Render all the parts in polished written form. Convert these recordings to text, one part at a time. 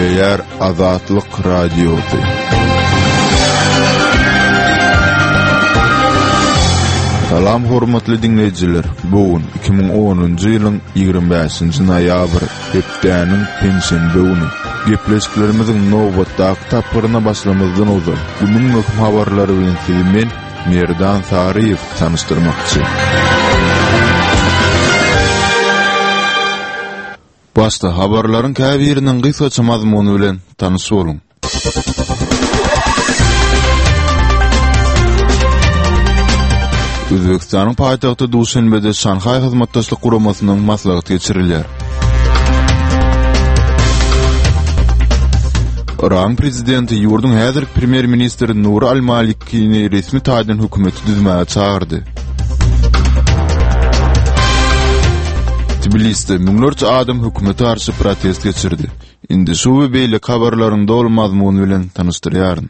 Gepleýär Azatlyk Radiosy. Salam hormatly diňleýjiler! Bu gün 2010-njy ýylyň 25-nji noýabry, hepdäniň penşenbe güni. Gepleşiklerimiziň nobatdaky tapgyryna başlamazdan ozal, günüň möhüm habarlary bilen sizi men, Merdan Saryýew tanyşdyrmakçy. Başda habarlaryň käbiriniň gysgaça mazmuny bilen tanyş boluň. Özbegistanyň paýtagty Duşenbede Şanhaý Hyzmatdaşlyk Guramasynyň maslahaty geçirilýär. Yragyň prezidenti ýurduň häzirki premýer-ministri Nuri al-Malikini resmi taýdan hökümeti düzmäge çagyrdy. Tbilisde müňlerçe adam hökümete garşy protest geçirdi. Indi şu we beýleki habarlaryň doly mazmuny bilen tanyşdyrýaryn.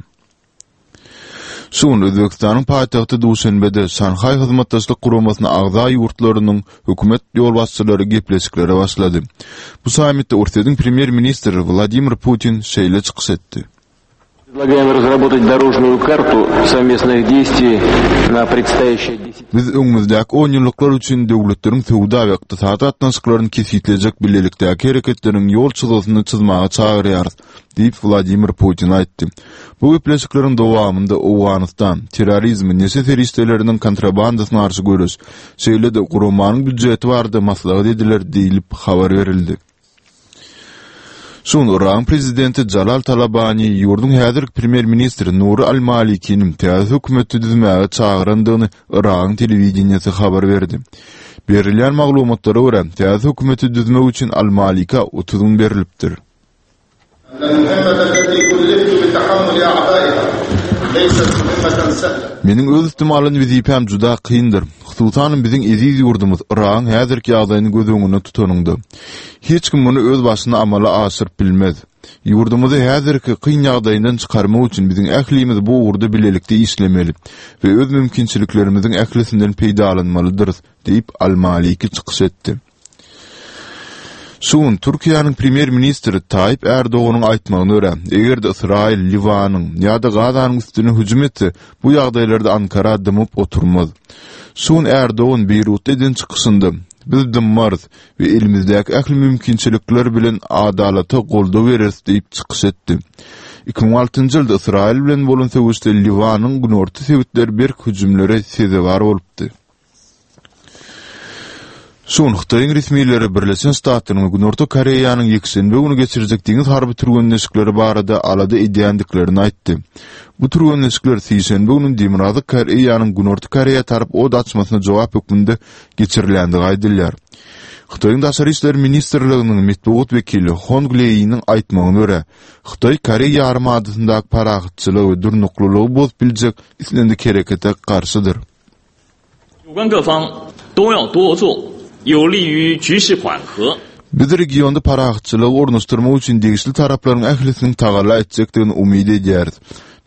Şu gün Özbegistanyň paýtagty Duşenbede Şanhaý Hyzmatdaşlyk Guramasyna agza ýurtlarynyň hökümet ýolbaşçylary gepleşiklere başlady. Bu sammitde Orsýetiň premýer-ministri Wladimir Putin şeýle çykyş etdi. Biz öňümizdäki onýyllyklar üçin döwletleriň söwda we ykdysady gatnaşyklaryny kesgitlejek bilelikdäki hereketleriň ýol çyzgysyny çyzmaga çagyrýarys, diýip, Wladimir Putin aýtdy. Bu gepleşikleriň dowamynda Owganystan, terrorizm, neşe serişdeleriniň kontrabandasyna garşy göreş, şeýle-de guramanyň býujeti barada maslahat ediler diýlip habar berildi. Şu gün Yragyň prezidenti Jalal Talabani ýurduň häzirki premýer-ministri Nuri al-Malikiniň täze hökümeti düzmäge çagyrandygyny Yragyň telewideniýesi habar berdi. Berilýän maglumatlara görä, täze hökümeti düzmek üçin al-Malika 30 gün berlipdir. Meniň öz üstüme alan wezipäm juda kyndyr. Hususanam biziň eziz ýurdumyz Yragyň häzirki ýagdaýyny göz öňünde tutanyňda. Hiç kim muny öz başyna amala aşyryp bilmez. Ýurdumyzy häzirki kyn ýagdaýyndan çykarmak üçin biziň ählimiz bu ugurda bilelikde işlemeli we öz mümkinçiliklerimiziň ählisinden peýdalanmalydyrys diýip, Al-Maliki çykyş etdi. Şu gün Türkiýäniň premýer-ministri Taýyp Ärdoganyň aýtmagyna görä, eger-de Ysraýyl Liwanyň ýa-da Gazanyň üstüne hüjüm etse, bu ýagdaýlarda Ankara dymyp oturmaz. Şu gün Ärdogan Beýrutda eden çykyşynda, Biz dymmarys we elimizdäki ähli mümkinçilikler bilen adalata goldaw bereris diýip çykyş etdi. 2006-njy ýylda Ysraýyl bilen bolan söweşde Liwanyň günorta sebitleri berk hüjümlere sezewar bolupdy. Şu gün Hytaýyň resmileri Birleşen Ştatlaryň we Günorta Koreýanyň ýekşenbe güni geçirjek deňiz harby türgenleşikleri barada alada edýändiklerini aýtdy. Bu türgenleşikler sişenbe güni Demirgazyk Koreýanyň Günorta Koreýa tarap od açmasyna jogap hökmünde geçirilýändigi aýdylýar. Hytaýyň Daşary işler ministrliginiň metbugat wekili Hong Leýiniň aýtmagyna görä, Hytaý Koreý ýarymadasyndaky parahatçylygy we durnuklylygy bozup biljek islendik herekete garşydyr. Biz regionda parahatçylygy ornaşdyrmak üçin degişli taraplaryň ählisiniň tagalla etjekdigini umyt edýäris.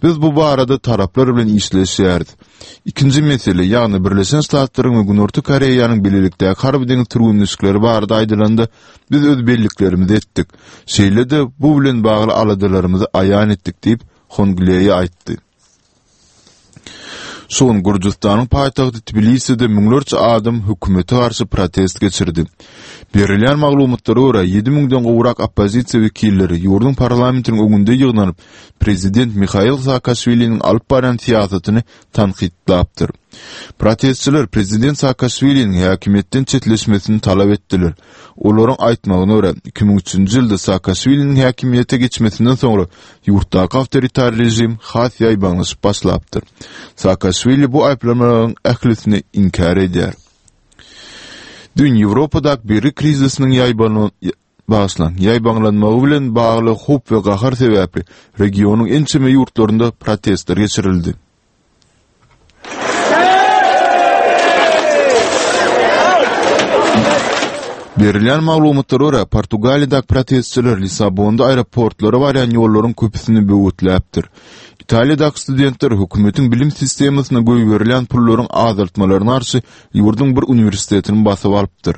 Biz bu barada taraplar bilen işleşýäris. Ikinji mesele, ýagny Birleşen Ştatlaryň we Günorta Koreýanyň bilelikdäki harby-deňiz türgenleşikleri barada aýdylanda, biz öz belliklerimizi etdik. Şeýle-de, bu bilen bagly aladalarymyzy aýan etdik diýip, Hong Leý aýtdy. Şu gün Gürjüstanyň paýtagty Tbiliside müňlerçe adam hökümete garşy protest geçirdi. Berilýän maglumatlara görä, ýedi müňden gowrak oppozisiýa wekilleri ýurduň parlamentiniň öňünde ýygnanyp, prezident Mihail Saakaşwiliniň alyp barýan syýasatyny tankytlapdyr. Protestçiler prezident Saakaşwiliniň häkimiýetden çetleşmesini talap etdiler. Olaryň aýtmagyna görä, 2003-nji ýylda Saakaşwiliniň häkimiýete geçmesinden soňra Ýurtdaky awtoritar režim has ýaýbaňlaşyp başlapdyr. Saakaşwili bu aýyplamalaryň ählisini inkär edýär. Düýn Ýewropadaky bergi krizisiniň bagyşlaň, ýaýbaňlanmagy bilen bagly howp we gahar sebäpli regionyň ençeme ýurtlarynda protestler geçirildi. Berilýän maglumatlara görä, Portugaliýadaky protestçiler Lissabonda aeroportlara barýan ýollaryň köpüsini böwetläpdir. Italiýadaky studentler hökümetiň bilim sistemasyna goýberilýän pullaryň azaltmalaryna garşy ýurduň bir uniwersitetini basyp alypdyr.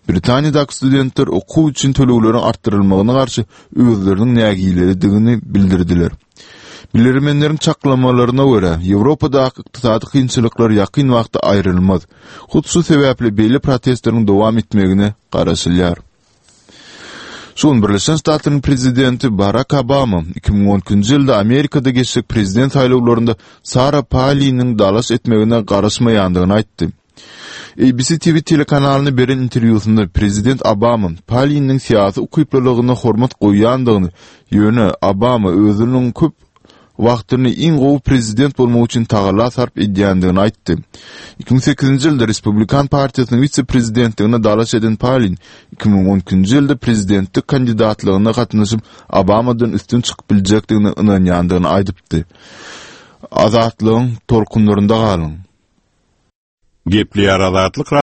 Britaniýadaky studentler okuw üçin tölegleriň artdyrylmagyna garşy özleriniň nägileligini bildirdiler. Bilermenleriň çaklamalaryna görä, Ýewropadaky ykdysady kynçylyklar ýakyn wagtda aýrylmaz. Hut şu sebäpli beýle protestleriň dowam etmegine garaşylýar. Şu gün Birleşen Ştatlaryň prezidenti Barak Obama 2012-nji ýylda Amerikada geçjek prezident saýlawlarynda Sara Paliniň dalaş etmegine garaşmaýandygyny aýtdy. ABC TV telekanalyna beren interwýusynda prezident Obama Paliniň syýasy ukyplylygyna hormat goýýandygyny, ýöne Obama özüniň köp wagtyny iň gowy prezident bolmak üçin tagalla sarp edýändigini aýtdy. 2008-nji ýylda Respublikan partiýasynyň wise-prezidentligine dalaş eden Palin 2012-nji ýylda prezidentlik kandidatlygyna gatnaşyp, Obamadan üstün çykyp biljekdigine ynanýandygyny aýdypdy. Azatlygyň tolkunlarynda galyň! Gepleýär Azatlyk.